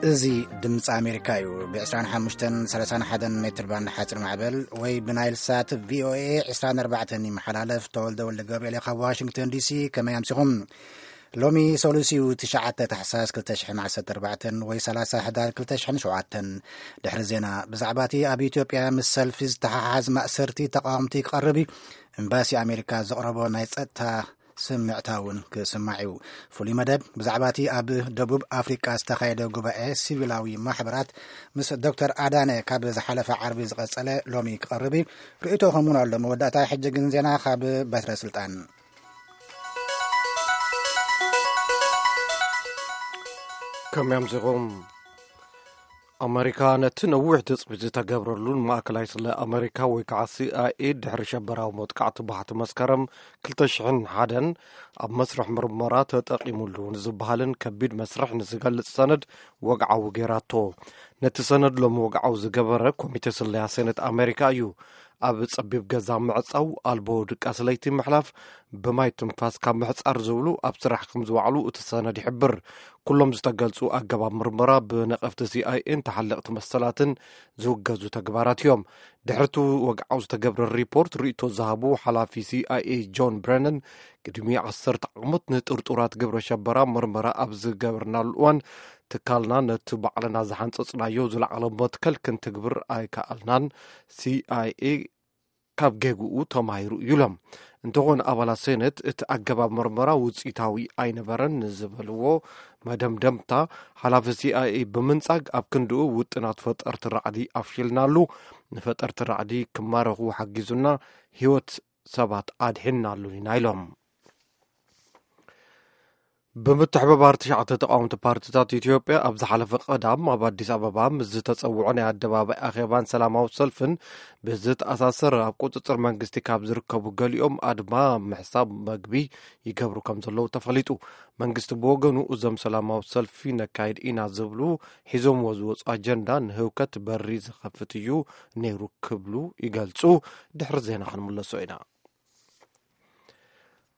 እዚ ድምፂ ኣሜሪካ እዩ። ብ ዕስራን ሓሙሽተን ሰላሳን ሓደን ሜትር ባንድ ሓፂር ማዕበል ወይ ብናይል ሳት ቪኦኤ ዕስራን ኣርባዕተን ይመሓላለፍ። ተወልደ ወልደ ገብርኤል ካብ ዋሽንግተን ዲሲ። ከመይ ኣምሲኹም? ሎሚ ሰሉስ እዩ፣ ትሽዓተ ታሕሳስ ክልተ ሽሕን ዓሰርተ ኣርባዕተን ወይ ሰላሳ ሕዳር ክልተ ሽሕን ሸውዓተን። ድሕሪ ዜና፣ ብዛዕባ እቲ ኣብ ኢትዮጵያ ምስ ሰልፊ ዝተሓሓዝ ማእሰርቲ ተቃወምቲ ክቐርብ እዩ። ኤምባሲ ኣሜሪካ ዘቕረቦ ናይ ጸጥታ ስምዕታ እውን ክስማዕ እዩ። ፍሉይ መደብ ብዛዕባ እቲ ኣብ ደቡብ ኣፍሪቃ ዝተኻየደ ጉባኤ ሲቪላዊ ማሕበራት ምስ ዶክተር ኣዳነ ካብ ዝሓለፈ ዓርቢ ዝቐጸለ ሎሚ ክቐርብ እዩ። ርእይቶኹም እውን ኣሎ። መወዳእታ፣ ሕጂ ግን ዜና ካብ በትረ ስልጣን። ከመይ ኣምሲኹም? ኣመሪካ ነቲ ነዊሕ ትጽቢት ዝተገብረሉን ማእከላይ ስለ ኣመሪካ ወይ ከዓ ሲኣይኤ ድሕሪ ሸበራዊ መጥቃዕቲ ባሕቲ መስከረም ክልተ ሽሕን ሓደን ኣብ መስርሕ ምርመራ ተጠቒሙሉ ንዝበሃልን ከቢድ መስርሕ ንዝገልጽ ሰነድ ወግዓዊ ገይራቶ። ነቲ ሰነድ ሎም ወግዓዊ ዝገበረ ኮሚቴ ስለያ ሴኔት ኣመሪካ እዩ። ኣብ ጸቢብ ገዛ ምዕጻው፣ ኣልቦ ድቃስ ለይቲ ምሕላፍ፣ ብማይ ትንፋስ ካብ ምሕጻር ዝብሉ ኣብ ስራሕ ከም ዝዋዕሉ እቲ ሰነድ ይሕብር። ኩሎም ዝተገልጹ ኣገባብ ምርመራ ብነቐፍቲ ሲኣይኤን ተሓለቕቲ መሰላትን ዝውገዙ ተግባራት እዮም። ድሕሪ እቲ ወግዓዊ ዝተገብረ ሪፖርት ርእይቶ ዝሃቡ ሓላፊ ሲኣይኤ ጆን ብረነን፣ ቅድሚ ዓሰርተ ዓመት ንጥርጡራት ግብረ ሸበራ ምርመራ ኣብ ዝገበርናሉ እዋን ትካልና ነቲ ባዕልና ዝሓንጸጽናዮ ዝለዓለ መትከል ክንትግብር ኣይከኣልናን። ሲኣይኤ ካብ ጌግኡ ተማሂሩ እዩ ኢሎም። እንተኾነ ኣባላት ሴኔት እቲ ኣገባብ ምርመራ ውጽኢታዊ ኣይነበረን ንዝበልዎ መደምደምታ ሓላፊ ሲኣይኤ ብምንጻግ ኣብ ክንድኡ ውጥናት ፈጠርቲ ራዕዲ ኣፍሽልናሉ፣ ንፈጠርቲ ራዕዲ ክማረኹ ሓጊዙና፣ ህይወት ሰባት ኣድሒንናሉ ኢና ኢሎም። ብምትሕብባር ትሽዓተ ተቃወምቲ ፓርቲታት ኢትዮጵያ ኣብ ዝሓለፈ ቀዳም ኣብ ኣዲስ ኣበባ ምስ ዝተጸውዑ ናይ ኣደባባይ ኣኼባን ሰላማዊ ሰልፍን ብዝተኣሳሰር ኣብ ቁጽጽር መንግስቲ ካብ ዝርከቡ ገሊኦም ኣድማ ምሕሳብ መግቢ ይገብሩ ከም ዘለዉ ተፈሊጡ። መንግስቲ ብወገኑ እዞም ሰላማዊ ሰልፊ ነካይድ ኢና ዝብሉ ሒዞምዎ ዝወጹ ኣጀንዳ ንህውከት በሪ ዝኸፍት እዩ ነይሩ ክብሉ ይገልጹ። ድሕሪ ዜና ክንምለሶ ኢና።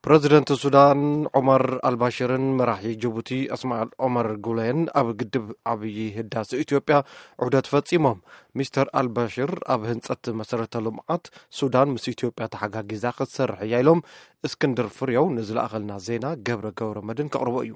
ፕረዚደንት ሱዳን ዑመር ኣልባሽርን መራሒ ጅቡቲ እስማኤል ዑመር ጉሌን ኣብ ግድብ ዓብዪ ህዳሴ ኢትዮጵያ ዑደት ፈጺሞም። ሚስተር ኣልባሽር ኣብ ህንጸት መሰረተ ልምዓት ሱዳን ምስ ኢትዮጵያ ተሓጋጊዛ ክትሰርሕ እያ ኢሎም። እስክንድር ፍሬው ንዝለኣኸልና ዜና ገብረ ገብረ መድን ከቕርቦ እዩ።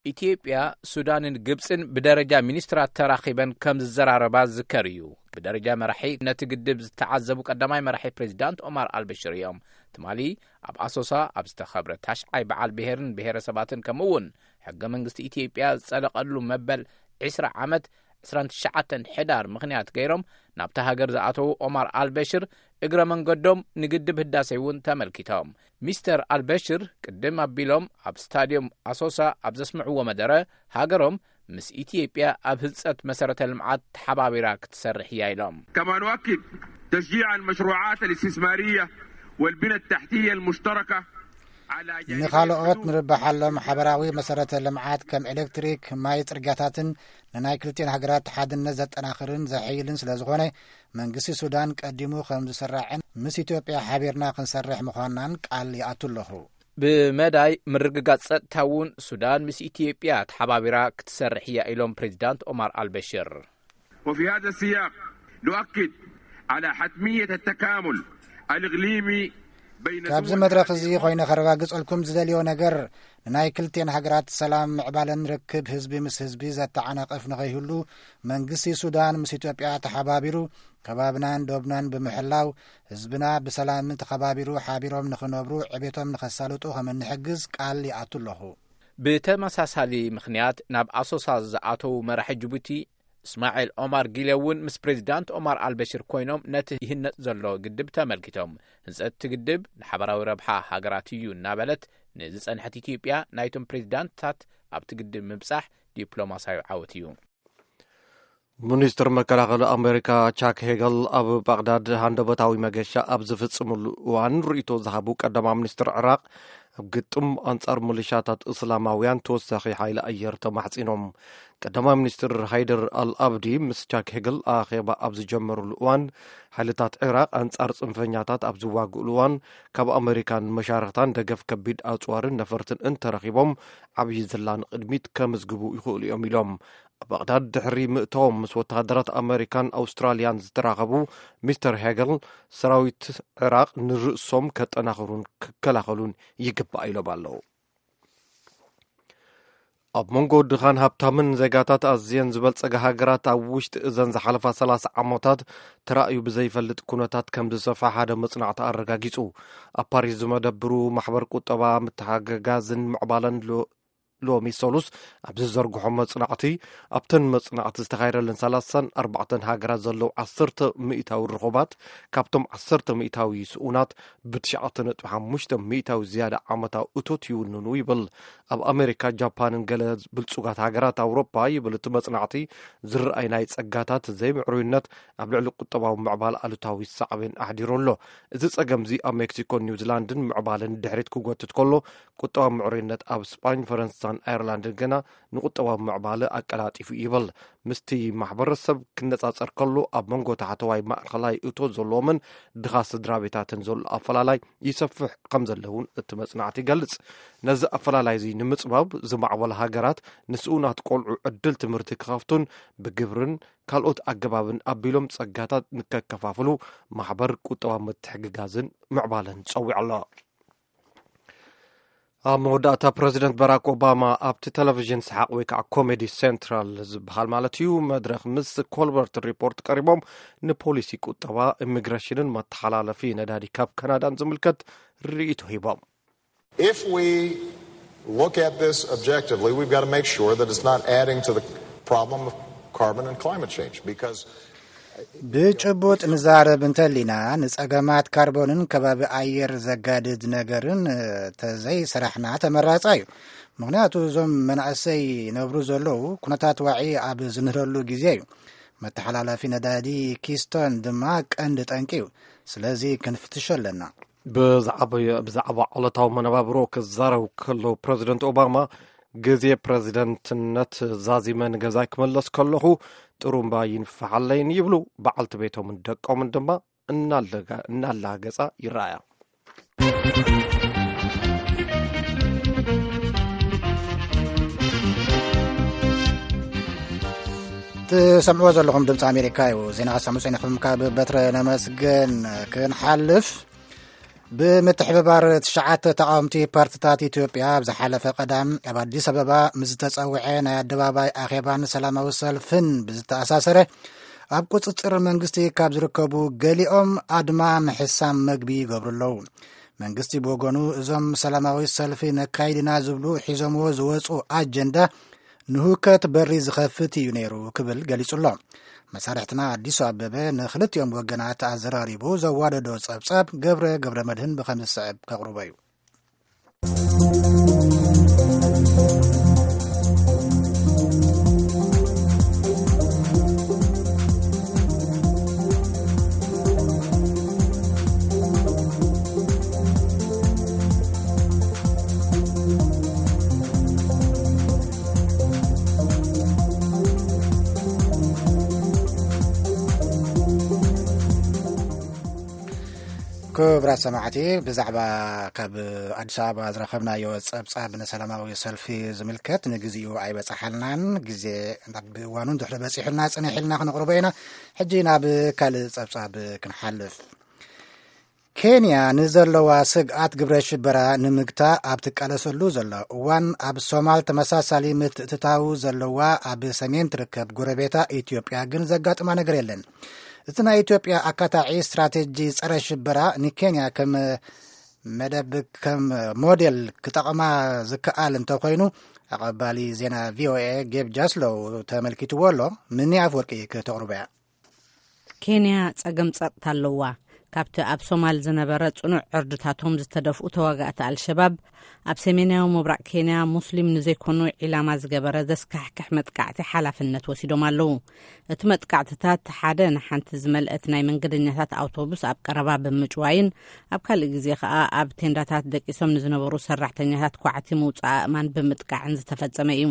ኢትዮጵያ፣ ሱዳንን ግብጽን ብደረጃ ሚኒስትራት ተራኺበን ከም ዝዘራረባ ዝዝከር እዩ። ብደረጃ መራሒ ነቲ ግድብ ዝተዓዘቡ ቀዳማይ መራሒ ፕሬዚዳንት ኦማር ኣልበሽር እዮም። ትማሊ ኣብ ኣሶሳ ኣብ ዝተኸብረ ታሽዓይ በዓል ብሄርን ብሄረሰባትን ከምኡ እውን ሕገ መንግስቲ ኢትዮጵያ ዝጸደቐሉ መበል ዕስራ ዓመት ዕስራን ትሽዓተን ሕዳር ምኽንያት ገይሮም ናብታ ሃገር ዝኣተዉ ኦማር ኣልበሽር እግረ መንገዶም ንግድብ ህዳሴ እውን ተመልኪቶም። ሚስተር ኣልበሽር ቅድም ኣቢሎም ኣብ ስታድዮም ኣሶሳ ኣብ ዘስምዕዎ መደረ ሃገሮም ምስ ኢትዮጵያ ኣብ ህንጸት መሰረተ ልምዓት ተሓባቢራ ክትሰርሕ እያ ኢሎም። كما نؤكد تشجيع المشروعات الاستثمارية والبنى التحتية المشتركة على جانبي ንኻልኦት الحدود. ንርብሓሎም ሓበራዊ መሰረተ ልምዓት ከም ኤሌክትሪክ፣ ማይ፣ ጽርግያታትን ንናይ ክልቲኤን ሃገራት ሓድነት ዘጠናኽርን ዘሕይልን ስለ ዝኾነ መንግስቲ ሱዳን ቀዲሙ ከም ዝስራዕን ምስ ኢትዮጵያ ሓቢርና ክንሰርሕ ምዃንናን ቃል ይኣቱ ኣለኹ። ብመዳይ ምርግጋጽ ጸጥታ እውን ሱዳን ምስ ኢትዮጵያ ተሓባቢራ ክትሰርሕ እያ ኢሎም ፕሬዚዳንት ኦማር ኣልበሽር። وفي هذا السياق نؤكد على حتمية التكامل الإقليمي بين ካብዚ دول መድረኽ እዚ الإقليم. ኮይነ ከረጋግጸልኩም ዝደልዮ ነገር ንናይ ክልቲኤን ሃገራት ሰላም ምዕባለን ርክብ ህዝቢ ምስ ህዝቢ ዘተዓናቕፍ ንኸይህሉ መንግስቲ ሱዳን ምስ ኢትዮጵያ ተሓባቢሩ ከባብናን ዶብናን ብምሕላው ህዝብና ብሰላም ተኸባቢሩ ሓቢሮም ንኽነብሩ ዕቤቶም ንኸሳልጡ ከም እንሕግዝ ቃል ይኣቱ ኣለኹ። ብተመሳሳሊ ምኽንያት ናብ ኣሶሳ ዝኣተዉ መራሒ ጅቡቲ እስማዒል ኦማር ጊለ እውን ምስ ፕሬዚዳንት ኦማር ኣልበሽር ኮይኖም ነቲ ይህነጽ ዘሎ ግድብ ተመልኪቶም። ህንጸት እቲ ግድብ ንሓበራዊ ረብሓ ሃገራት እዩ እናበለት ንዝጸንሐት ኢትዮጵያ ናይቶም ፕሬዚዳንትታት ኣብቲ ግድብ ምብጻሕ ዲፕሎማሲያዊ ዓወት እዩ። ሚኒስትር መከላኸሊ ኣሜሪካ ቻክ ሄገል ኣብ ባግዳድ ሃንደበታዊ መገሻ ኣብ ዝፍጽምሉ እዋን ርእይቶ ዝሃቡ ቀዳማይ ሚኒስትር ዕራቕ ኣብ ግጥም ኣንጻር ሚሊሻታት እስላማውያን ተወሳኺ ሓይሊ ኣየር ተማሕጺኖም። ቀዳማይ ሚኒስትር ሃይደር ኣልኣብዲ ምስ ቻክ ሄግል ኣኼባ ኣብ ዝጀመሩሉ እዋን፣ ሓይልታት ዒራቕ ኣንጻር ጽንፈኛታት ኣብ ዝዋግእሉ እዋን፣ ካብ ኣመሪካን መሻርኽታን ደገፍ ከቢድ ኣጽዋርን ነፈርትን እንተረኺቦም፣ ዓብዪ ዝላ ንቕድሚት ከምዝግቡ ይኽእሉ እዮም ኢሎም። ባቕዳድ ድሕሪ ምእታዎም ምስ ወተሃደራት ኣመሪካን ኣውስትራልያን ዝተራኸቡ ሚስተር ሄገል፣ ሰራዊት ዕራቕ ንርእሶም ከጠናኽሩን ክከላኸሉን ይግባእ ኢሎም ኣለዉ። ኣብ መንጎ ድኻን ሃብታምን ዜጋታት ኣዝየን ዝበልጸጋ ሃገራት ኣብ ውሽጢ እዘን ዝሓለፋ ሰላሳ ዓመታት ተራእዩ ብዘይፈልጥ ኩነታት ከም ዝሰፍሐ ሓደ መጽናዕቲ ኣረጋጊጹ። ኣብ ፓሪስ ዝመደብሩ ማሕበር ቁጠባ፣ ምትሓገጋዝን ምዕባለን ሎ-፣ ሎሚ ሰሉስ ኣብ ዝዘርግሖ መጽናዕቲ፣ ኣብተን መጽናዕቲ ዝተኻየደለን ሰላሳን ኣርባዕተን ሃገራት ዘለዉ ዓሰርተ ሚእታዊ ርኹባት፣ ካብቶም ዓሰርተ ሚእታዊ ስኡናት ብትሽዓተ ነጥቢ ሓሙሽተ ሚእታዊ ዝያዳ ዓመታዊ እቶት ይውንኑ ይብል። ኣብ ኣሜሪካ፣ ጃፓንን ገለ ብልጹጋት ሃገራት ኣውሮፓ ይብል እቲ መጽናዕቲ፣ ዝረኣይ ናይ ጸጋታት ዘይምዕሩይነት ኣብ ልዕሊ ቁጠባዊ ምዕባለ ኣሉታዊ ሳዕቤን ኣሕዲሩ ኣሎ። እዚ ጸገምዚ ኣብ ሜክሲኮን ኒውዚላንድን ምዕባለን ድሕሪት ክጎትት ከሎ፣ ቁጠባዊ ምዕሩይነት ኣብ ስጳኝ፣ ፈረንሳን ኣየርላንድን ግና ንቁጠባዊ ምዕባለ ኣቀላጢፉ ይብል። ምስቲ ማሕበረሰብ ክነጻጸር ከሎ፣ ኣብ መንጎ ታሕተዋይ ማእከላይ እቶት ዘለዎምን ድኻ ስድራ ቤታትን ዘሎ ኣፈላላይ ይሰፍሕ ከም ዘሎ እውን እቲ መጽናዕቲ ይገልጽ። ነዚ ኣፈላላይ እዚ ንምጽባብ፣ ዝማዕበላ ሃገራት ንስኡናት ቆልዑ ዕድል ትምህርቲ ክኸፍቱን ብግብርን ካልኦት ኣገባብን ኣቢሎም ጸጋታት ንከከፋፍሉ ማሕበር ቁጠባዊ ምትሕግጋዝን ምዕባለን ጸዊዑ ኣሎ። ኣብ መወዳእታ፣ ፕረዚደንት ባራክ ኦባማ ኣብቲ ቴሌቪዥን ሰሓቕ ወይ ከዓ ኮሜዲ ሴንትራል ዝበሃል ማለት እዩ፣ መድረኽ ምስ ኮልበርት ሪፖርት ቀሪቦም፣ ንፖሊሲ ቁጠባ፣ ኢሚግሬሽንን መተሓላለፊ ነዳዲ ካብ ካናዳን ዝምልከት ርእይቶ ሂቦም። If we look at this objectively, we've got to make sure that it's not adding to the problem of carbon and climate change, because ብጭቡጥ ንዛረብ እንተሊና፣ ንጸገማት ካርቦንን ከባቢ ኣየር ዘጋድድ ነገርን ተዘይሰራሕና ተመራጻ እዩ። ምኽንያቱ፣ እዞም መናእሰይ ነብሩ ዘለዉ ኩነታት ዋዒ ኣብ ዝንህረሉ ግዜ እዩ። መተሓላለፊ ነዳዲ ኪስቶን ድማ ቀንዲ ጠንቂ እዩ። ስለዚ ክንፍትሾ ኣለና። ብዛዕባ ዕለታዊ መነባብሮ ክዛረቡ ከለዉ፣ ፕረዚደንት ኦባማ፣ ግዜ ፕረዚደንትነት ዛዚመ ንገዛይ ክመለስ ከለኹ ጥሩምባ ይንፍሓለይን ይብሉ። በዓልቲ ቤቶምን ደቆምን ድማ እናላገጻ ይረኣያ። ትሰምዕዎ ዘለኹም ድምፂ ኣሜሪካ እዩ። ዜና ክሰምዑ ጸኒኹም ካብ በትረ ነመስገን ክንሓልፍ፣ ብምትሕብባር ትሽዓተ ተቓወምቲ ፓርትታት ኢትዮጵያ ኣብ ዝሓለፈ ቀዳም ኣብ ኣዲስ ኣበባ ምስ ዝተጸውዐ ናይ ኣደባባይ ኣኼባን ሰላማዊ ሰልፍን ብዝተኣሳሰረ፣ ኣብ ቁጽጽር መንግስቲ ካብ ዝርከቡ ገሊኦም ኣድማ ምሕሳም መግቢ ይገብሩ ኣለዉ። መንግስቲ ብወገኑ፣ እዞም ሰላማዊ ሰልፊ ነካይድና ዝብሉ ሒዞምዎ ዝወጹ ኣጀንዳ ንሁከት በሪ ዝኸፍት እዩ ነይሩ ክብል ገሊጹ ኣሎ። መሳርሕትና ኣዲሱ ኣበበ ንክልቲኦም ወገናት ኣዘራሪቡ ዘዋደዶ ጸብጻብ ገብረ ገብረ መድህን ብኸም ዝስዕብ ከቕርቦ እዩ። ክቡራት ሰማዕቲ፣ ብዛዕባ ካብ ኣዲስ ኣበባ ዝረኸብናዮ ጸብጻብ ንሰላማዊ ሰልፊ ዝምልከት ንግዚኡ ኣይበጻሓልናን። ግዜ ናብ እዋኑ እንድሕሪ በጺሑልና ጽንሕ ኢልና ክነቕርቦ ኢና። ሕጂ ናብ ካልእ ጸብጻብ ክንሓልፍ። ኬንያ ንዘለዋ ስግኣት ግብረ ሽበራ ንምግታእ ኣብ ትቃለሰሉ ዘላ እዋን፣ ኣብ ሶማል ተመሳሳሊ ምትእትታው ዘለዋ ኣብ ሰሜን ትርከብ ጎረቤታ ኢትዮጵያ ግን ዘጋጥማ ነገር የለን። እቲ ናይ ኢትዮጵያ ኣካታዒ ስትራቴጂ ጸረ ሽበራ ንኬንያ ከም መደብ፣ ከም ሞዴል ክጠቕማ ዝከኣል እንተኾይኑ፣ ኣቐባሊ ዜና ቪኦኤ ጌብ ጃስሎው ተመልኪትዎ ኣሎ። ምኒ ኣፍወርቂ ክተቕርቦ እያ። ኬንያ ጸገም ጸጥታ ኣለዋ። ካብቲ ኣብ ሶማል ዝነበረ ጽኑዕ ዕርድታቶም ዝተደፍኡ ተዋጋእቲ ኣልሸባብ፣ ኣብ ሰሜናዊ ምብራቕ ኬንያ ሙስሊም ንዘይኮኑ ዒላማ ዝገበረ ዘስካሕክሕ መጥቃዕቲ ሓላፍነት ወሲዶም ኣለዉ። እቲ መጥቃዕትታት፣ ሓደ ንሓንቲ ዝመልአት ናይ መንገደኛታት ኣውቶቡስ ኣብ ቀረባ ብምጭዋይን፣ ኣብ ካልእ ግዜ ከኣ ኣብ ቴንዳታት ደቂሶም ንዝነበሩ ሰራሕተኛታት ኳዕቲ ምውጻእ ኣእማን ብምጥቃዕን ዝተፈጸመ እዩ።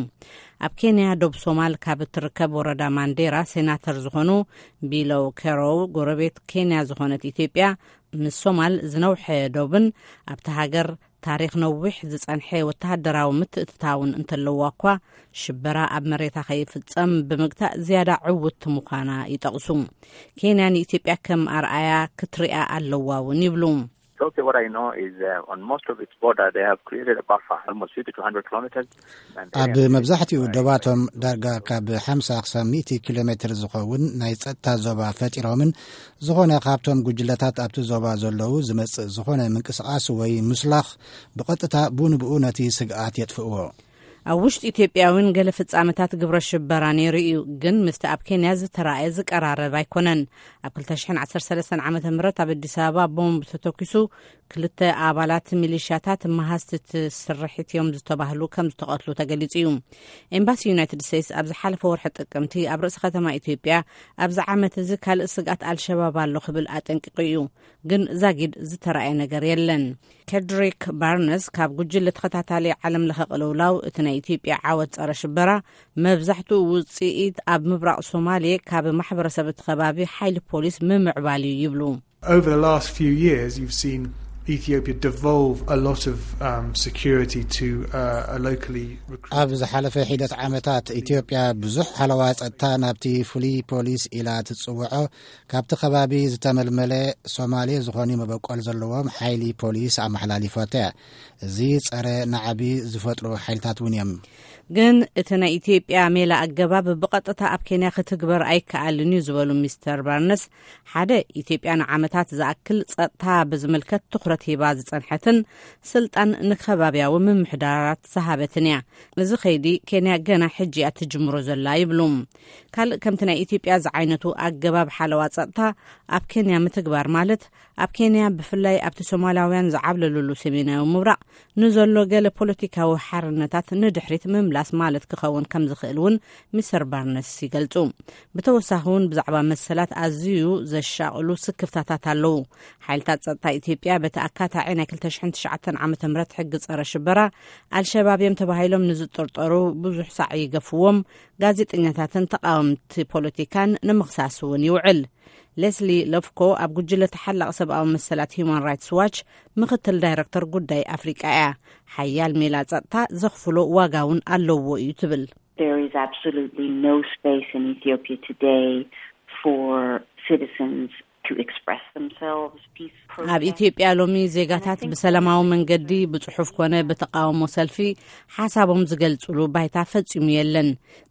ኣብ ኬንያ ዶብ ሶማል ካብ እትርከብ ወረዳ ማንዴራ ሴናተር ዝኾኑ ቢሎው ኬሮው፣ ጎረቤት ኬንያ ዝኾነት ኢትዮጵያ፣ ምስ ሶማል ዝነውሐ ዶብን ኣብቲ ሃገር ታሪኽ ነዊሕ ዝጸንሐ ወተሃደራዊ ምትእትታውን እንተለዋ እኳ፣ ሽበራ ኣብ መሬታ ከይፍጸም ብምግታእ ዝያዳ ዕውትቲ ምዃና ይጠቕሱ። ኬንያ ንኢትዮጵያ ከም ኣርኣያ ክትሪኣ ኣለዋ እውን ይብሉ። Ethiopia, what I know is, uh, on most of its border, they have created a buffer, almost fifty to one hundred kilometers. And they ኣብ have መብዛሕትኡ created a ዶባቶም ዳርጋ ካብ ሓምሳ ክሳብ ሚእቲ ኪሎ ሜትር ዝኸውን ናይ ጸጥታ ዞባ ፈጢሮምን፣ ዝኾነ ካብቶም ጉጅለታት ኣብቲ ዞባ ዘለዉ ዝመጽእ ዝኾነ ምንቅስቓስ ወይ ምስላኽ ብቐጥታ ብኡ ንብኡ ነቲ ስግኣት የጥፍእዎ። ኣብ ውሽጢ ኢትዮጵያ እውን ገለ ፍጻመታት ግብረ ሽበራ ነይሩ እዩ፣ ግን ምስቲ ኣብ ኬንያ ዝተራእየ ዝቀራረብ ኣይኮነን። ኣብ ክልተ ሽሕን ዓሰርተ ሰለስተን ዓመተ ምህረት ኣብ ኣዲስ ኣበባ ቦምብ ተተኪሱ ክልተ ኣባላት ሚሊሻታት መሃዝቲ እቲ ስርሒት እዮም ዝተባህሉ ከም ዝተቐትሉ ተገሊጹ እዩ። ኤምባሲ ዩናይትድ ስቴትስ ኣብ ዝሓለፈ ወርሒ ጥቅምቲ ኣብ ርእሲ ከተማ ኢትዮጵያ ኣብዚ ዓመት እዚ ካልእ ስግኣት ኣልሸባብ ኣሎ ክብል ኣጠንቂቑ እዩ። ግን ዛጊድ ዝተራእየ ነገር የለን። ኬድሪክ ባርነስ ካብ ጉጅለ ተኸታታሊ ዓለም ለኸ ቅልውላው እቲ ናይ ኢትዮጵያ ዓወት ጸረ ሽበራ መብዛሕትኡ ውጽኢት ኣብ ምብራቕ ሶማሌ ካብ ማሕበረሰብ እቲ ከባቢ ሓይሊ ፖሊስ ምምዕባል እዩ ይብሉ። Over the last few years, you've seen Ethiopia devolve a lot of um, security to uh, a locally recruited ኣብ ዝሓለፈ ሒደት ዓመታት ኢትዮጵያ ብዙሕ ሓለዋ ጸጥታ ናብቲ ፍሉይ ፖሊስ ኢላ ትጽውዖ ካብቲ ከባቢ ዝተመልመለ ሶማሌ ዝኾኑ መበቆል ዘለዎም ሓይሊ ፖሊስ ኣመሓላሊፎታ እያ። እዚ ጸረ ናዕቢ ዝፈጥሩ ሓይልታት እውን እዮም። ግን እቲ ናይ ኢትዮጵያ ሜላ ኣገባብ ብቐጥታ ኣብ ኬንያ ክትግበር ኣይከኣልን እዩ ዝበሉ ሚስተር ባርነስ፣ ሓደ ኢትዮጵያ ንዓመታት ዝኣክል ጸጥታ ብዝምልከት ትኹረት ሂባ ዝጸንሐትን ስልጣን ንከባብያዊ ምምሕዳራት ዝሃበትን እያ። እዚ ከይዲ ኬንያ ገና ሕጂ እያ ትጅምሮ ዘላ ይብሉ። ካልእ ከምቲ ናይ ኢትዮጵያ ዝዓይነቱ ኣገባብ ሓለዋ ጸጥታ ኣብ ኬንያ ምትግባር ማለት ኣብ ኬንያ ብፍላይ ኣብቲ ሶማላውያን ዝዓብለሉሉ ሰሜናዊ ምብራቕ ንዘሎ ገለ ፖለቲካዊ ሓርነታት ንድሕሪት ምምላስ ማለት ክኸውን ከም ዝኽእል እውን ሚስተር ባርነስ ይገልጹ። ብተወሳኺ እውን ብዛዕባ መሰላት ኣዝዩ ዘሻቕሉ ስክፍታታት ኣለዉ። ሓይልታት ጸጥታ ኢትዮጵያ በቲ ኣካታዒ ናይ ክልተ ሽሕን ትሽዓተን ዓመተ ምህረት ሕጊ ጸረ ሽበራ ኣልሸባብ እዮም ተባሂሎም ንዝጥርጠሩ ብዙሕ ሳዕ ይገፍዎም፣ ጋዜጠኛታትን ተቃወምቲ ፖለቲካን ንምኽሳስ እውን ይውዕል። ሌስሊ ለፍኮ ኣብ ጉጅለ ተሓላቒ ሰብኣዊ መሰላት ሂዩማን ራይትስ ዋች ምኽትል ዳይረክተር ጉዳይ ኣፍሪቃ እያ። ሓያል ሜላ ጸጥታ ዘኽፍሎ ዋጋ እውን ኣለዎ እዩ ትብል። There is absolutely no space in Ethiopia today for citizens to express themselves peacefully. ኣብ ኢትዮጵያ ሎሚ ዜጋታት ብሰላማዊ መንገዲ ብጽሑፍ ኮነ ብተቃውሞ ሰልፊ ሓሳቦም ዝገልጽሉ ባይታ ፈጺሙ የለን።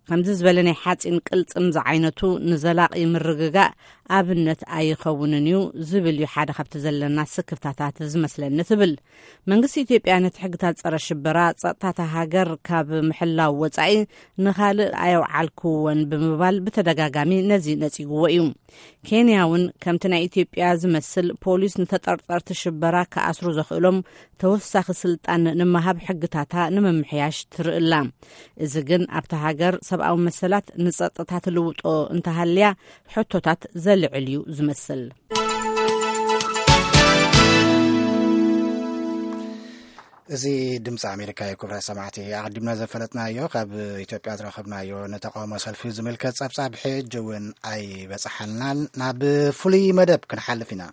ከምዚ ዝበለ ናይ ሓጺን ቅልጽም ዝዓይነቱ ንዘላቒ ምርግጋእ ኣብነት ኣይኸውንን እዩ ዝብል እዩ ሓደ ካብቲ ዘለና ስክፍታታት ዝመስለኒ ትብል። መንግስቲ ኢትዮጵያ ነቲ ሕግታት ጸረ ሽበራ ጸጥታታ ሃገር ካብ ምሕላው ወጻኢ ንኻልእ ኣየውዓልክዎን ብምባል ብተደጋጋሚ ነዚ ነጺግዎ እዩ። ኬንያ እውን ከምቲ ናይ ኢትዮጵያ ዝመስል ፖሊስ ንተጠርጠርቲ ሽበራ ክኣስሩ ዘኽእሎም ተወሳኺ ስልጣን ንምሃብ ሕግታታ ንምምሕያሽ ትርኢ ኣላ። እዚ ግን ኣብታ ሃገር ሰብኣዊ መሰላት ንጸጥታ ትልውጦ እንተሃልያ ሕቶታት ዘልዕል እዩ ዝመስል። እዚ ድምፂ ኣሜሪካ እዩ። ክቡራት ሰማዕቲ፣ ኣቐዲምና ዘፈለጥናዮ ካብ ኢትዮጵያ ዝረኸብናዮ ንተቃውሞ ሰልፊ ዝምልከት ጸብጻብ ሕጂ እውን ኣይበጽሓልናን። ናብ ፍሉይ መደብ ክንሓልፍ ኢና።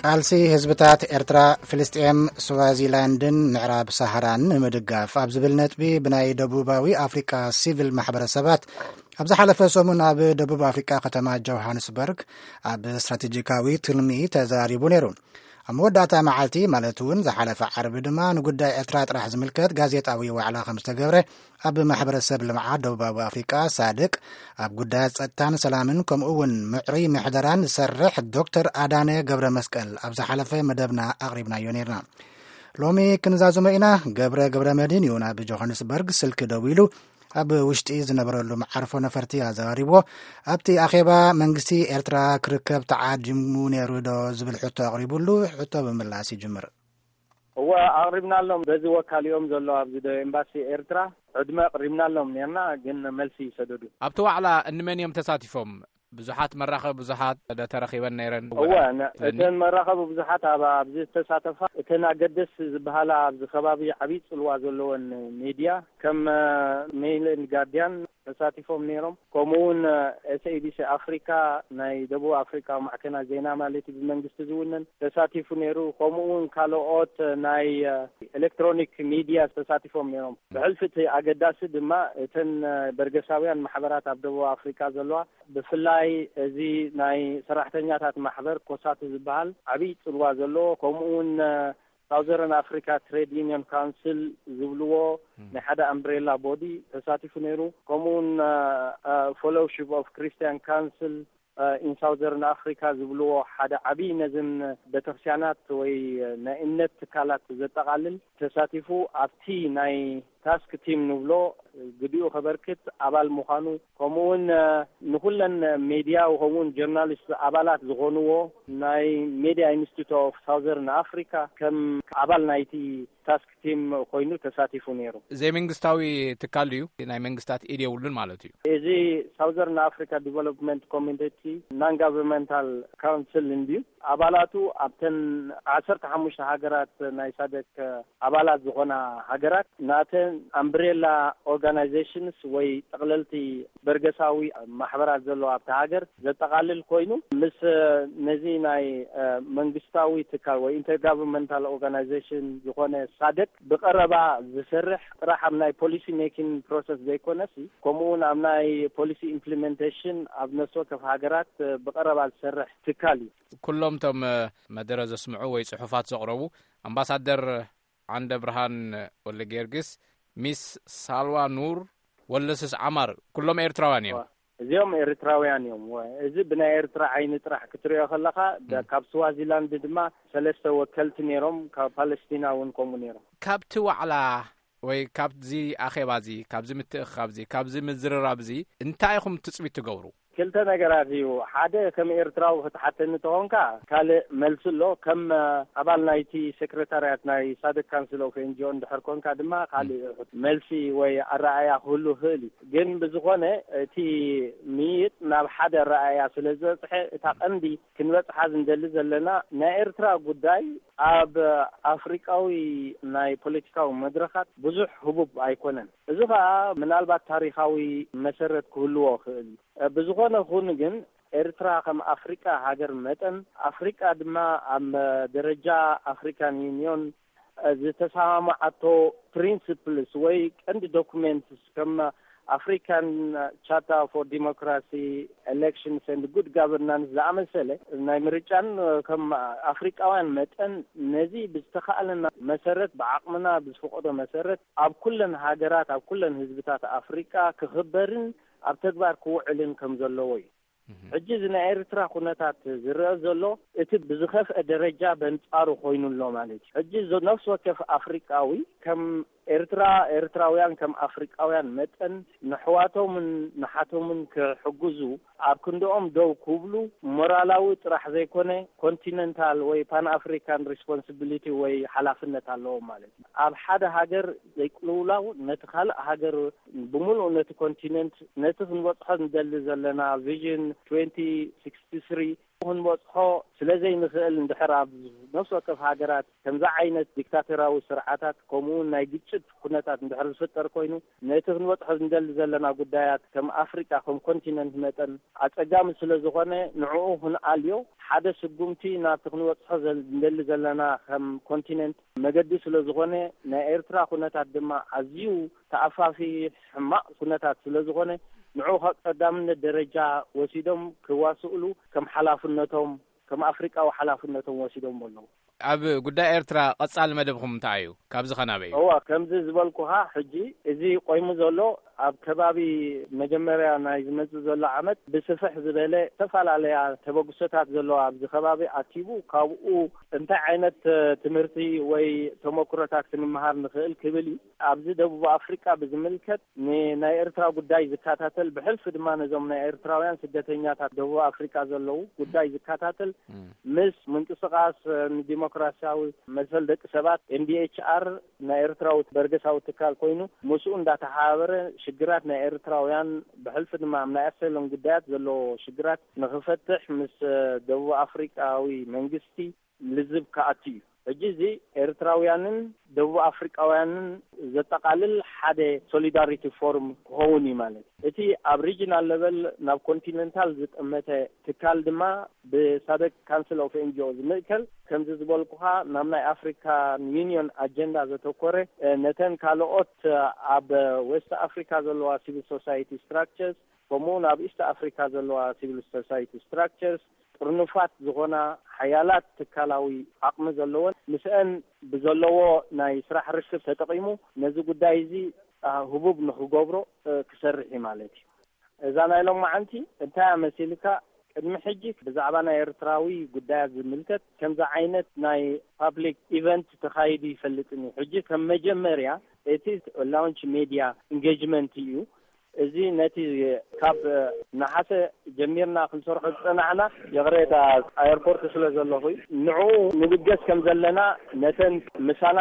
ቃልሲ ህዝብታት ኤርትራ፣ ፍልስጤም፣ ስዋዚላንድን ምዕራብ ሳሃራን ንምድጋፍ ኣብ ዝብል ነጥቢ ብናይ ደቡባዊ ኣፍሪቃ ሲቪል ማሕበረሰባት ኣብ ዝሓለፈ ሰሙን ኣብ ደቡብ ኣፍሪቃ ከተማ ጆሃንስበርግ ኣብ ስትራቴጂካዊ ትልሚ ተዛሪቡ ነይሩ። ኣብ መወዳእታ መዓልቲ ማለት እውን ዝሓለፈ ዓርቢ ድማ ንጉዳይ ኤርትራ ጥራሕ ዝምልከት ጋዜጣዊ ዋዕላ ከም ዝተገብረ ኣብ ማሕበረሰብ ልምዓት ደቡባዊ ኣፍሪቃ ሳድቅ ኣብ ጉዳያት ጸጥታን ሰላምን ከምኡ እውን ምዕሩይ ምሕደራን ዝሰርሕ ዶክተር ኣዳነ ገብረ መስቀል ኣብ ዝሓለፈ መደብና ኣቕሪብናዮ ነይርና። ሎሚ ክንዛዝሞ ኢና። ገብረ ገብረ መድህን እዩ ናብ ጆሃንስበርግ ስልኪ ደዊሉ ኣብ ውሽጢ ዝነበረሉ መዓርፎ ነፈርቲ ኣዘራሪብዎ። ኣብቲ ኣኼባ መንግስቲ ኤርትራ ክርከብ ተዓዲሙ ነይሩ ዶ ዝብል ሕቶ ኣቕሪቡሉ፣ ሕቶ ብምምላስ ይጅምር። እወ፣ ኣቕሪብናሎም። በዚ ወካሊኦም ዘሎ ኣብዚ ዶ ኤምባሲ ኤርትራ ዕድመ ኣቕሪብናሎም ነርና፣ ግን መልሲ ይሰደዱ። ኣብቲ ዋዕላ እንመን እዮም ተሳቲፎም? ብዙሓት መራኸቢ ብዙሓት ዶ ተረኺበን ነይረን? እወ፣ ነ-፣ እተን መራኸቢ ብዙሓት ኣብ-፣ ኣብዚ ዝተሳተፋ፣ እተን ኣገደስ ዝበሃላ ኣብዚ ከባቢ ዓብዪ ጽልዋ ዘለወን ሜድያ ከም ሜይል ኤንድ ጋርዲያን፣ ተሳቲፎም ነይሮም። ከምኡ እውን ኤስኤቢሲ ኣፍሪካ፣ ናይ ደቡብ ኣፍሪካ ማዕከናት ዜና ማለት እዩ፣ ብመንግስቲ ዝውነን፣ ተሳቲፉ ነይሩ። ከምኡ እውን ካልኦት ናይ ኤሌክትሮኒክ ሚድያ ተሳቲፎም ነይሮም። ብሕልፊ እቲ ኣገዳሲ ድማ እተን በርገሳውያን ማሕበራት ኣብ ደቡብ ኣፍሪካ ዘለዋ፣ ብፍላይ እዚ ናይ ሰራሕተኛታት ማሕበር ኮሳቱ ዝበሃል ዓብዪ ፅልዋ ዘለዎ፣ ከምኡ እውን ሳውዘርን ኣፍሪካ ትሬድ ዩኒዮን ካውንስል ዝብልዎ ናይ ሓደ ኣምብሬላ ቦዲ ተሳቲፉ ነይሩ። ከምኡውን ፎሎውሺፕ ኦፍ ክርስቲያን ካውንስል ኢን ሳውዘርን ኣፍሪካ ዝብልዎ ሓደ ዓብዪ ነዝን ቤተክርስቲያናት ወይ ናይ እምነት ትካላት ዘጠቓልል ተሳቲፉ፣ ኣብቲ ናይ ታስክ ቲም ንብሎ ግዲኡ ከበርክት ኣባል ምዃኑ፣ ከምኡውን ንኩለን ሜድያ ከምኡውን ጀርናሊስት ኣባላት ዝኾንዎ ናይ ሜድያ ኢንስቲቱት ኦፍ ሳውዘርን ኣፍሪካ ከም ኣባል ናይቲ ታስክ ቲም ኮይኑ ተሳቲፉ ነይሩ። ዘይመንግስታዊ ትካል እዩ፣ ናይ መንግስታት ኢድ የብሉን ማለት እዩ። እዚ ሳውዘርን ኣፍሪካ ዲቨሎፕመንት ኮሚኒቲ ናን ጋቨርንመንታል ካውንስል እንድዩ። ኣባላቱ ኣብተን ዓሰርተ ሓሙሽተ ሃገራት ናይ ሳደክ ኣባላት ዝኾና ሃገራት ናተን ኣምብሬላ ኦርጋናይዜሽንስ ወይ ጠቕለልቲ በርገሳዊ ማሕበራት ዘለዎ ኣብቲ ሃገር ዘጠቓልል ኮይኑ፣ ምስ ነዚ ናይ መንግስታዊ ትካል ወይ ኢንተርጋቨርንመንታል ኦርጋናይዜሽን ዝኾነ ሳደክ ብቐረባ ዝሰርሕ፣ ጥራሕ ኣብ ናይ ፖሊሲ ሜኪንግ ፕሮሰስ ዘይኮነሲ፣ ከምኡውን ኣብ ናይ ፖሊሲ ኢምፕሊሜንቴሽን ኣብ ነፍሲ ወከፍ ሃገራት ብቐረባ ዝሰርሕ ትካል እዩ። ኩሎም እቶም መደረ ዘስምዑ ወይ ጽሑፋት ዘቕረቡ ኣምባሳደር ዓንደ ብርሃን ወልደ ጊዮርጊስ፣ ሚስ ሳልዋ ኑር፣ ወለስስ ዓማር፣ ኩሎም ኤርትራውያን እዮም። እዚኦም ኤርትራውያን እዮም። ወ-፣ እዚ ብናይ ኤርትራ ዓይኒ ጥራሕ ክትሪኦ ከለኻ፣ ደ-፣ ም። ካብ ስዋዚላንድ ድማ ሰለስተ ወከልቲ ነይሮም፣ ካብ ፓለስቲና እውን ከምኡ ነይሮም። ካብቲ ዋዕላ ወይ ካብዚ ኣኼባ እዚ፣ ካብዚ ምትእኽኻብ እዚ፣ ካብዚ ምዝርራብ እዚ እንታይ ኢኹም ትጽቢት ትገብሩ? ክልተ ነገራት እዩ። ሓደ፣ ከም ኤርትራዊ ክትሓተኒ ተኾንካ፣ ካልእ መልሲ ኣሎ። ከም ኣባል ናይቲ ሴክሬታርያት ናይ ሳደክ ካውንስል ኦፍ ኤንጂኦ እንድሕር ኮንካ ድማ፣ ካልእ መልሲ ወይ ኣረኣእያ ክህሉ ይኽእል እዩ። ግን ብዝኾነ፣ እቲ ምይይጥ ናብ ሓደ ኣረኣእያ ስለ ዝበጽሐ፣ እታ ቀንዲ ክንበጽሓ ዝንደሊ ዘለና፣ ናይ ኤርትራ ጉዳይ ኣብ ኣፍሪቃዊ ናይ ፖለቲካዊ መድረኻት ብዙሕ ህቡብ ኣይኮነን። እዚ ኸኣ ምናልባት ታሪኻዊ መሰረት ክህልዎ ይኽእል። ብዝኾነ ኹን ግን፣ ኤርትራ ከም ኣፍሪቃ ሃገር መጠን፣ ኣፍሪቃ ድማ ኣብ ደረጃ ኣፍሪካን ዩኒዮን ዝተሰማማዓቶ ፕሪንስፕልስ ወይ ቀንዲ ዶኩሜንትስ ከም ኣፍሪካን ቻርተር ፎር ዲሞክራሲ፣ ኤሌክሽንስ ኤንድ ጉድ ጋቨርናንስ ዝኣመሰለ ናይ ምርጫን፣ ከም ኣፍሪቃውያን መጠን ነዚ ብዝተኻእለና መሰረት፣ ብዓቕምና ብዝፈቐዶ መሰረት ኣብ ኩለን ሃገራት፣ ኣብ ኩለን ህዝብታት ኣፍሪቃ ክኽበርን ኣብ ተግባር ክውዕልን ከም ዘለዎ እዩ። ሕጂ እዚ ናይ ኤርትራ ኩነታት ዝረአ ዘሎ፣ እቲ ብዝኸፍአ ደረጃ በንጻሩ ኮይኑ ኣሎ ማለት እዩ። ሕጂ ዞ-፣ ነፍሲ ወከፍ ኣፍሪቃዊ ከም ኤርትራ፣ ኤርትራውያን ከም ኣፍሪቃውያን መጠን ንሕዋቶምን ንሓቶምን ክሕግዙ፣ ኣብ ክንድኦም ደው ክብሉ፣ ሞራላዊ ጥራሕ ዘይኮነ፣ ኮንቲነንታል ወይ ፓን ኣፍሪካን ሪስፖንሲቢሊቲ ወይ ሓላፍነት ኣለዎም ማለት እዩ። ኣብ ሓደ ሃገር ዘይቅልውላው ነቲ ካልእ ሃገር ብምሉእ ነቲ ኮንቲነንት፣ ነቲ ክንበጽሖ ንደሊ ዘለና ቪዥን ትዌንቲ ሲክስቲ ስሪ ክንበጽሖ ስለ ዘይንኽእል፣ እንድሕር ኣብ ነፍሲ ወከፍ ሃገራት ከምዚ ዓይነት ዲክታቶራዊ ስርዓታት፣ ከምኡ እውን ናይ ግጭት ኩነታት እንድሕር ዝፍጠር ኮይኑ፣ ነቲ ክንበጽሖ ንደሊ ዘለና ጉዳያት ከም ኣፍሪቃ፣ ከም ኮንቲነንት መጠን ኣጸጋሚ ስለ ዝኾነ፣ ንዕኡ ክንኣልዮ፣ ሓደ ስጉምቲ ናብቲ ክንበጽሖ ዘል-፣ ንደሊ ዘለና ከም ኮንቲነንት መገዲ ስለ ዝኾነ፣ ናይ ኤርትራ ኩነታት ድማ ኣዝዩ ተኣፋፊ ሕማቕ ኩነታት ስለ ዝኾነ፣ ንዕኡ ካብ ቀዳምነት ደረጃ ወሲዶም ክዋስእሉ ከም ሓላፍነቶም፣ ከም ኣፍሪቃዊ ሓላፍነቶም ወሲዶም ኣለዉ። ኣብ ጉዳይ ኤርትራ ቀጻሊ መደብኹም እንታይ እዩ? ካብዚ ኸ ናበይ እዩ? እዋ፣ ከምዚ ዝበልኩኻ፣ ሕጂ እዚ ቆይሙ ዘሎ፣ ኣብ ከባቢ መጀመርያ ናይ ዝመጽእ ዘሎ ዓመት ብስፍሕ ዝበለ ዝተፈላለያ ተበግሶታት ዘለዋ ኣብዚ ከባቢ ኣኪቡ፣ ካብኡ እንታይ ዓይነት ትምህርቲ ወይ ተመክሮታት ክንመሃር ንኽእል ክብል እዩ። ኣብዚ ደቡብ ኣፍሪቃ ብዝምልከት፣ ንናይ ኤርትራ ጉዳይ ዝከታተል፣ ብሕልፊ ድማ ነዞም ናይ ኤርትራውያን ስደተኛታት ደቡብ ኣፍሪቃ ዘለዉ ጉዳይ ዝከታተል፣ ምስ ምንቅስቃስ ንዲሞክራሲያዊ መሰል ደቂ ሰባት፣ ኤምዲኤችኣር፣ ናይ ኤርትራዊ በርገሳዊ ትካል ኮይኑ፣ ምስኡ እንዳተሓባበረ ሽግራት ናይ ኤርትራውያን፣ ብሕልፊ ድማ ኣብ ናይ ኣሰሎም ጉዳያት ዘለዎ ሽግራት ንኽፈትሕ ምስ ደቡብ ኣፍሪቃዊ መንግስቲ ልዝብ ክኣቱ እዩ። ሕጂ እዚ ኤርትራውያንን ደቡብ ኣፍሪቃውያንን ዘጠቓልል ሓደ ሶሊዳሪቲ ፎርም ክኸውን እዩ ማለት እዩ። እቲ ኣብ ሪጂናል ለቨል ናብ ኮንቲነንታል ዝጠመተ ትካል ድማ ብሳደክ ካንስል ኦፍ ኤንጂኦ ዝምእከል፣ ከምዚ ዝበልኩኻ፣ ናብ ናይ ኣፍሪካን ዩኒዮን ኣጀንዳ ዘተኮረ፣ ነተን ካልኦት ኣብ ዌስት ኣፍሪካ ዘለዋ ሲቪል ሶሳይቲ ስትራክቸርስ፣ ከምኡ እውን ኣብ ኢስት ኣፍሪካ ዘለዋ ሲቪል ሶሳይቲ ስትራክቸርስ፣ ጥርኑፋት ዝኾና ሓያላት ትካላዊ ዓቕሚ ዘለወን፣ ምስአን ብዘለዎ ናይ ስራሕ ርክብ ተጠቒሙ ነዚ ጉዳይ እዚ ህቡብ ንኽገብሮ ክሰርሕ እዩ ማለት እዩ። እዛ ናይ ሎማዓንቲ እንታይ እያ መሲልካ? ቅድሚ ሕጂ ብዛዕባ ናይ ኤርትራዊ ጉዳያት ዝምልከት ከምዚ ዓይነት ናይ ፓብሊክ ኢቨንት ተኻይዱ ይፈልጥን እዩ። ሕጂ ከም መጀመርያ እቲ ላውንች ሜድያ ኢንጌጅመንት እዩ። እዚ ነቲ ካብ ነሓሰ ጀሚርና ክንሰርሖ ዝጸናሕና፣ ይቕሬታ፣ ኣየርፖርት ስለ ዘለኹ እዩ። ንዕኡ ንብገስ ከም ዘለና፣ ነተን ምሳና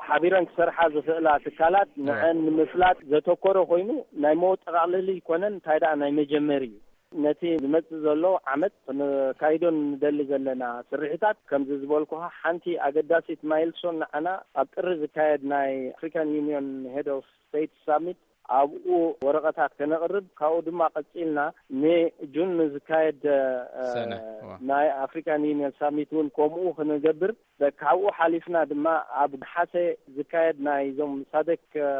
ሓቢረን ክሰርሓ ዝኽእላ ትካላት ንዐን ንምፍላጥ ዘተኮረ ኮይኑ፣ ናይ መወጠቓቕለሊ ኣይኮነን፣ እንታይ ደኣ ናይ መጀመሪ እዩ። ነቲ ዝመጽእ ዘሎ ዓመት ክንካይዶ ንደሊ ዘለና ስርሒታት፣ ከምዚ ዝበልኩኻ፣ ሓንቲ ኣገዳሲት ማይልስቶን ንዓና ኣብ ጥሪ ዝካየድ ናይ ኣፍሪካን ዩኒዮን ሄድ ኦፍ ስቴት ሳሚት፣ ኣብኡ ወረቐታት ከነቕርብ፣ ካብኡ ድማ ቀጺልና ንጁን ንዝካየድ፣ እ፣ ሰነ፣ እዋ። ናይ ኣፍሪካን ዩኒየን ሳሚት እውን ከምኡ ክንገብር፣ በ-፣ ካብኡ ሓሊፍና ድማ ኣብ ነሓሰ ዝካየድ ናይዞም ሳደክ፣ እ፣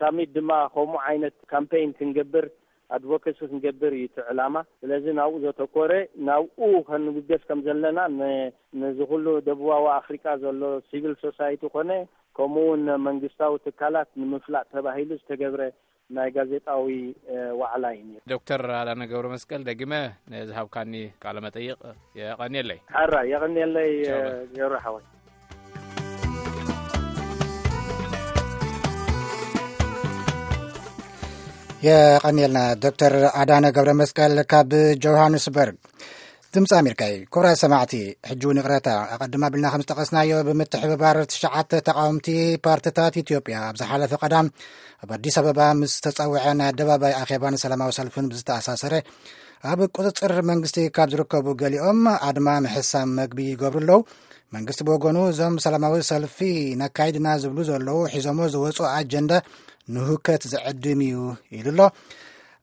ሳሚት ድማ ከምኡ ዓይነት ካምፔይን ክንገብር፣ ኣድቮኬሲ ክንገብር እዩ እቲ ዕላማ። ስለዚ ናብኡ ዘተኮረ፣ ናብኡ ከንብገስ ከም ዘለና ን-፣ ነዚ ኩሉ ደቡባዊ ኣፍሪቃ ዘሎ ሲቪል ሶሳይቲ ኮነ፣ ከምኡ እውን መንግስታዊ ትካላት ንምፍላጥ ተባሂሉ ዝተገብረ ናይ ጋዜጣዊ፣ እ፣ ዋዕላ እዩ ነይሩ። ዶክተር ኣዳነ ገብረ መስቀል፣ ደጊመ ንዝሃብካኒ ቃለ መጠይቕ የቐንየለይ። ሕራይ፣ የቐንየለይ፣ እ፣ ገብረ ሓወይ። የቐንየልና ዶክተር ኣዳነ ገብረ መስቀል ካብ ጆሃንስበርግ። ድምፂ ኣሜሪካ እዩ። ክቡራት ሰማዕቲ፣ ሕጂ እውን ይቕረታ፣ ኣቐድም ኣቢልና ከም ዝጠቐስናዮ፣ ብምትሕብባር ትሽዓተ ተቓወምቲ ፓርትታት ኢትዮጵያ ኣብ ዝሓለፈ ቀዳም ኣብ ኣዲስ ኣበባ ምስ ተፀውዐ ናይ ኣደባባይ ኣኼባን ሰላማዊ ሰልፍን ብዝተኣሳሰረ፣ ኣብ ቁፅፅር መንግስቲ ካብ ዝርከቡ ገሊኦም ኣድማ ምሕሳም መግቢ ይገብሩ ኣለዉ። መንግስቲ ብወገኑ፣ እዞም ሰላማዊ ሰልፊ ነካይድና ዝብሉ ዘለዉ ሒዞሞ ዝወፁ ኣጀንዳ ንሁከት ዝዕድም እዩ ኢሉ ኣሎ።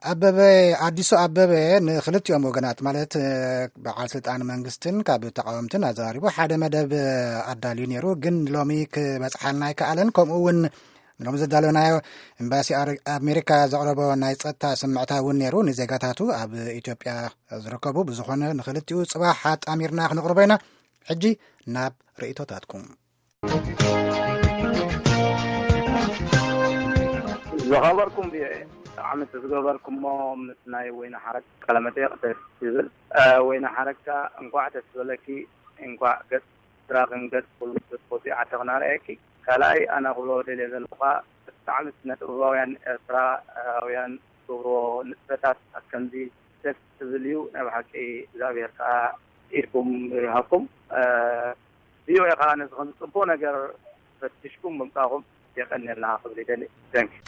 ኣበበ፣ ኣዲሱ ኣበበ፣ ንክልቲኦም ወገናት፣ ማለት በዓል ስልጣን መንግስትን ካብ ተቃወምትን ኣዘራሪቡ ሓደ መደብ ኣዳልዩ ነይሩ፣ ግን ሎሚ ክበፅሓልና ኣይከኣለን። ከምኡ እውን ንሎሚ ዘዳለናዮ፣ ኤምባሲ ኣር-፣ ኣሜሪካ ዘቕረቦ ናይ ጸጥታ ስምዕታ እውን ነይሩ። ንዜጋታቱ ኣብ ኢትዮጵያ ዝርከቡ ብዝኾነ ንክልቲኡ ጽባሕ ኣጣሚርና ክንቕርቦ ኢና። ሕጂ ናብ ርእይቶታትኩም። ዝኸበርኩም ቪኦኤ፣ ብጣዕሚ እቲ ዝገበርኩሞ ምስ ናይ ወይኒ ሓረግ ቃለመጠይቕ ደስ ይብል። እ፣ ወይኒ ሓረግ ከኣ እንኳዕ ደስ በለኪ፣ እንኳዕ ገጽ ድራኽን ገጽ ኩሉ ትፈትዊ ዓዲ ክነርእየኪ። ካልኣይ ኣነ ክብሎ ደልየ ዘለኹ ከኣ ብጣዕሚ ስነ ጥበባውያን ኤርትራውያን ዝገብርዎ ንጥፈታት ከምዚ ደስ ዝብል እዩ። ናይ ብሓቂ እግዚኣብሔር ከኣ ኢድኩም ይሃብኩም። እ፣ ቪኦኤ ከኣ ነዚ ከም ጽቡቕ ነገር ፈቲሽኩም ምምጻእኩም የቐንየልና ክብል ይደሊ። Thank you።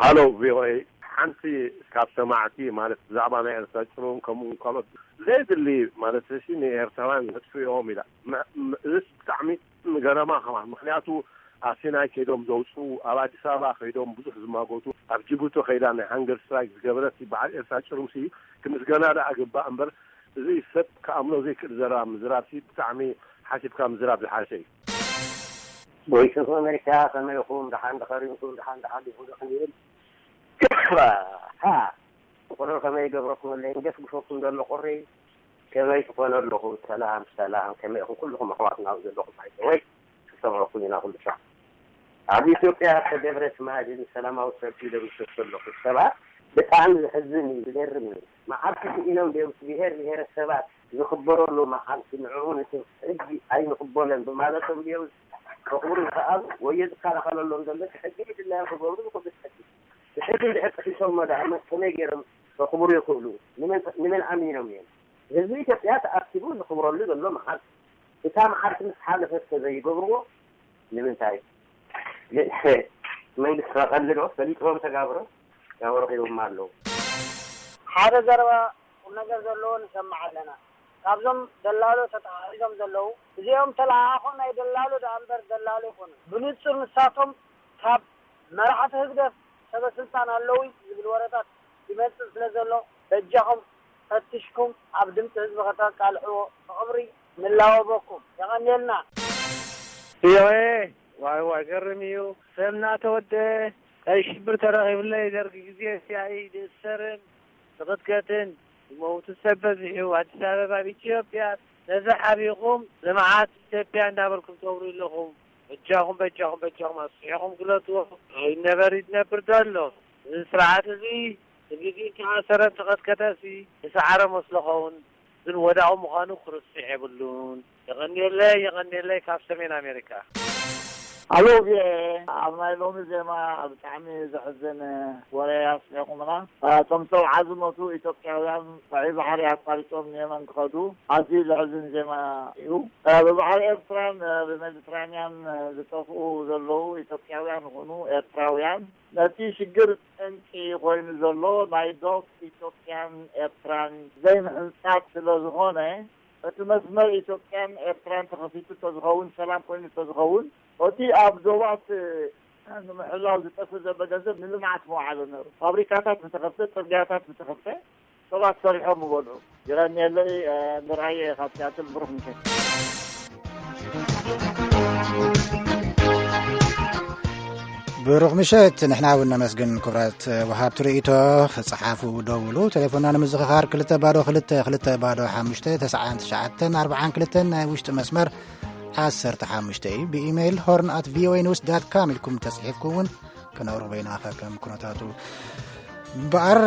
ሃሎ ቪኦኤ፣ ሓንቲ ካብ ሰማዕቲ ማለት ብዛዕባ ናይ ኤርትራ ጭሩም ከምኡ ካልኦት ዘየድሊ ማለት እሺ ንኤርትራውያን ዘጥፍኦም ኢላ። መ-፣ ም-፣ እዚስ ብጣዕሚ ገረማ ከማን፣ ምክንያቱ ኣብ ሲናይ ከይዶም ዘውፅኡ፣ ኣብ ኣዲስ ኣበባ ከይዶም ብዙሕ ዝማጎቱ፣ ኣብ ጅቡቲ ከይዳ ናይ ሃንገር ስትራይክ ዝገበረት በዓል ኤርትራ ጭሩምሲ ክምስገና ደኣ ግባእ እምበር፣ እዚ ሰብ ክኣምኖ ዘይክእል ዘረባ ምዝራብሲ ብጣዕሚ ሓሲብካ ምዝራብ ዝሓሸ እዩ። ቮይስ ኦፍ ኣሜሪካ፣ ከመይ ኢኹም? ደሓን ዶ ከሪምኩም? ደሓን፣ ደሓን ዲኹም? ደሓን ይብል። ሃ፣ ቁሩብ ከመይ ይገብረኩም ኣሎ? ይገስግሰኩም ዘሎ ቁሪ። ከመይ ትኾኑ ኣለኹም? ሰላም፣ ሰላም። ከመይ ኢኹም? ኩልኹም ኣሕዋትና ኣብ ዘለኹም፣ ባይ ዘ ወይ፣ ክሰምዐኩም ኢና ኩሉ ሻዕ። ኣብ ኢትዮጵያ ዝተገብረ ትማሊ ሰላማዊ ሰልፊ ደምሰሱ ኣለኹ ሰባት፣ ብጣዕሚ ዘሕዝን እዩ፣ ዝገርም እዩ። መዓልቲ ስኢኖም ድዮም ብሄር ብሄረሰባት ዝኽበረሉ መዓልቲ፣ ንዕኡ ነቲ ሕጊ ኣይንቕበሎን ብማለቶም ድዮም ከኽብሩ ዝኸኣሉ? ወይ ዝከላኸለሎም ዘሎ እቲ ሕጊ ድላዮም ክገብሩ ዝኽእሉ? እቲ ሕጊ፣ እቲ ሕጊ እንድሕር ጥሒሶሞ ደኣ መ-፣ ከመይ ገይሮም ከኽብሩ ይኽእሉ? ንመን፣ ንመን ኣሚኖም እዮም? ህዝቢ ኢትዮጵያ ተኣኪቡ ዝኽብረሉ ዘሎ መዓልቲ፣ እታ መዓልቲ ምስ ሓለፈት ከ ዘይገብርዎ ንምንታይ? ግን መንግስቲ ከቐልድ ዶ ፈሊጥዎም ተጋብሮ ያው ረኺቦም ኣለዉ። ሓደ ዘረባ ቁም ነገር ዘለዎ ንሰምዕ ኣለና። ካብዞም ደላሎ ተተሓሒዞም ዘለዉ፣ እዚኦም ተለኣኣኾ ናይ ደላሎ ደኣ እምበር ደላሎ ኣይኮኑን። ብንጹር ንሳቶም ካብ መራሕቲ ህግደፍ ሰበ ስልጣን ኣለዉ ዝብል ወረታት ይመጽእ ስለ ዘሎ፣ በጃኹም ፈቲሽኩም ኣብ ድምጺ ህዝቢ ከተቃልሕዎ ብኽብሪ ንላወበኩም። የቐንየልና። ቪኦኤ፣ ዋይ ዋይ፣ ገርም እዩ። ሰምና ተወደ፣ ቀይ ሽብር ተረኺብለይ፣ ደርግ ግዜ ሲኣይ ዝእሰርን ዝቕጥቀጥን ዝመውቱ ሰብ በዚሑ፣ ኣዲስ ኣበባ ኣብ ኢትዮጵያ፣ ነዚ ሓቢኹም ልምዓት ኢትዮጵያ እንዳበልኩም ትገብሩ ኣለኹም። በጃኹም፣ በጃኹም፣ በጃኹም ኣስሒኹም ግለጽዎ። ይነበር ይነብር ዘሎ። እዚ ስርዓት እዚ ብግዜ ተኣሰረ ተቐጥቀጠ ሲ ዝሰዓረ መስሎ ኸውን፣ ግን ወዳቑ ምዃኑ ክርስዕ የብሉን። የቐንየለይ፣ የቐንየለይ ካብ ሰሜን ኣሜሪካ። ኣሎ፣ ቪኦኤ፣ ኣብ ናይ ሎሚ ዜማ ብጣዕሚ ዘሕዝን ወረ ኣስሚዕኩምና። እቶም ሰብዓ ዝሞቱ ኢትዮጵያውያን ቀይ ባሕሪ ኣቋሪጾም ንየመን ክኸዱ ኣዝዩ ዘሕዝን ዜማ እዩ። ብባሕሪ ኤርትራን ብሜዲትራንያን ዝጠፍኡ ዘለዉ ኢትዮጵያውያን ይኹኑ ኤርትራውያን ነቲ ሽግር ጠንቂ ኮይኑ ዘሎ ናይ ዶብ ኢትዮጵያን ኤርትራን ዘይምሕንጻጽ ስለ ዝኾነ፣ እቲ መስመር ኢትዮጵያን ኤርትራን ተኸፊቱ እንተዝኸውን፣ ሰላም ኮይኑ እንተዝኸውን፣ እቲ ኣብ ዶባት ንምሕላው ዝጠፍእ ዘሎ ገንዘብ ንልምዓት መውዓሎ ነይሩ። ፋብሪካታት ምተኸፍተ፣ ጽርግያታት ምተኸፍተ፣ ሰባት ሰሪሖም ምበልዑ። ይቐንየለይ፣ ንርኣየ ካብ ሲያትል ብሩኽ ምሸት። ብሩኽ ምሸት። ንሕና እውን ነመስግን ክቡራት ወሃብቲ ርእይቶ። ጸሓፉ፣ ደውሉ። ቴሌፎንና ንምዝኽኻር ክልተ ባዶ ክልተ ክልተ ባዶ ሓሙሽተ ተስዓን ትሽዓተን ኣርብዓን ክልተን ናይ ውሽጢ መስመር ዓሰርተ ሓሙሽተ እዩ። ብኢሜይል ሆርን ኣት ቪኦኤ ኒውስ ዳት ካም ኢልኩም ተጽሒፍኩም እውን ክነቕርቦ ኢና ከከም ኩነታቱ። እምበኣር፣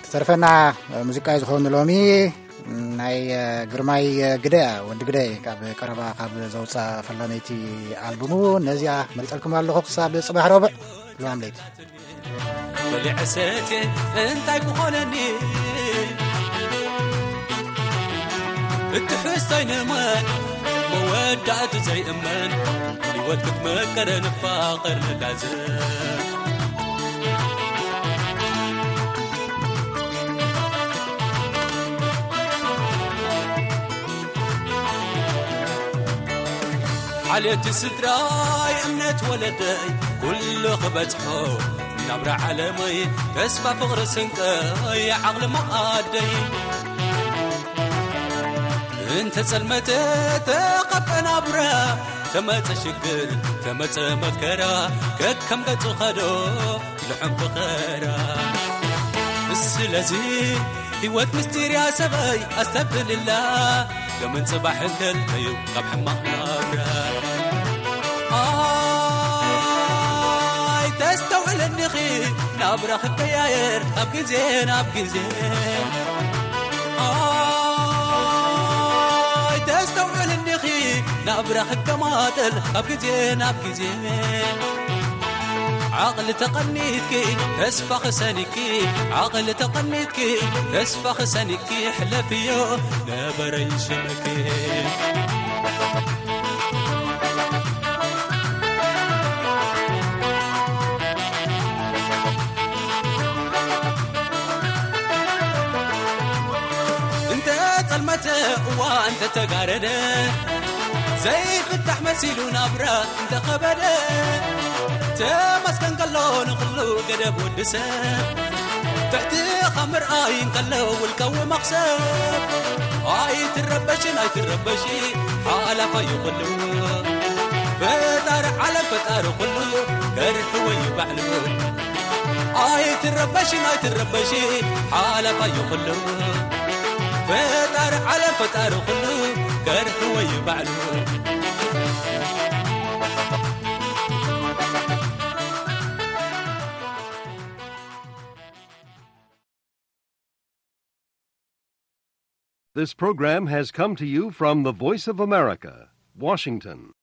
ዝተርፈና ሙዚቃ እዩ ዝኸውን ሎሚ። ናይ ግርማይ ግደያ፣ ወዲ ግደይ፣ ካብ ቀረባ ካብ ዘውፅኣ ፈላመይቲ ኣልቡሙ ነዚኣ መሪፀልኩም ኣለኹ። ክሳብ ፅባሕ ረቡዕ፣ ሰላም ለይቲ። በሊዐ ሰትየ እንታይ ክኾነኒ? እትሕዝቶይ ንመን መወዳእቱ ዘይእመን፣ ህይወት ክትመቅር ንፋቐር ንላዘብ። ሓልዮት ስድራይ፣ እምነት ወለደይ፣ ኩሉ ክበጽሖ ናብራ ዓለመይ፣ ተስፋ ፍቕሪ ስንቀይ፣ ዓቕሊ መኣደይ። እንተ ጸልመተ ተቐበ ናብራ፣ ተመጸ ሽግር፣ ተመጸ መከራ፣ ከከም ገጹ ኸዶ ልሑም ፍቐራ። ስለዚ ህይወት ምስጢር እያ ሰበይ ኣስተብህልላ፣ ገመን ጽባሕ እንከልከዩ ካብ ሕማቕ ናብራ። ኣይ ተስተውዕለኒኺ ናብራ ክቀያየር ካብ ግዜ ናብ ግዜ። ኣይ ተስተውዕለኒኺ ናብራ ክከማጠል ካብ ግዜ ናብ ግዜ። ዓቕሊ ተቐኒትኪ ተስፋ ክሰኒኪ፣ ዓቕሊ ተቐኒትኪ ተስፋ ክሰኒኪ፣ ሕለፍዮ ነበረይ ሽምኪ። እንተ ጸልመተ እዋ እንተ ተጋረደ፣ ዘይፍታሕ መሲሉ ናብራ እንተ ኸበደ፣ ተመስገን ከሎ ንኹሉ ገደብ ወዲ ሰብ፣ ትሕትኻ ምርኣይ እንከሎ ውልቃዊ መኽሰብ። ኣይትረበሽን ኣይትረበሺ ሓላፋ እዩ ኩሉ፣ ፈጣሪ ዓለም ፈጣሪ ኩሉ፣ ገርሒ ወይ ባዕሉ። ኣይትረበሽን ኣይትረበሺ ሓላፋ እዩ ኩሉ፣ ፈጣሪ ዓለም ፈጣሪ ኩሉ፣ ገርሒ ወይ ባዕሉ። This program has come to you from the Voice of America, Washington.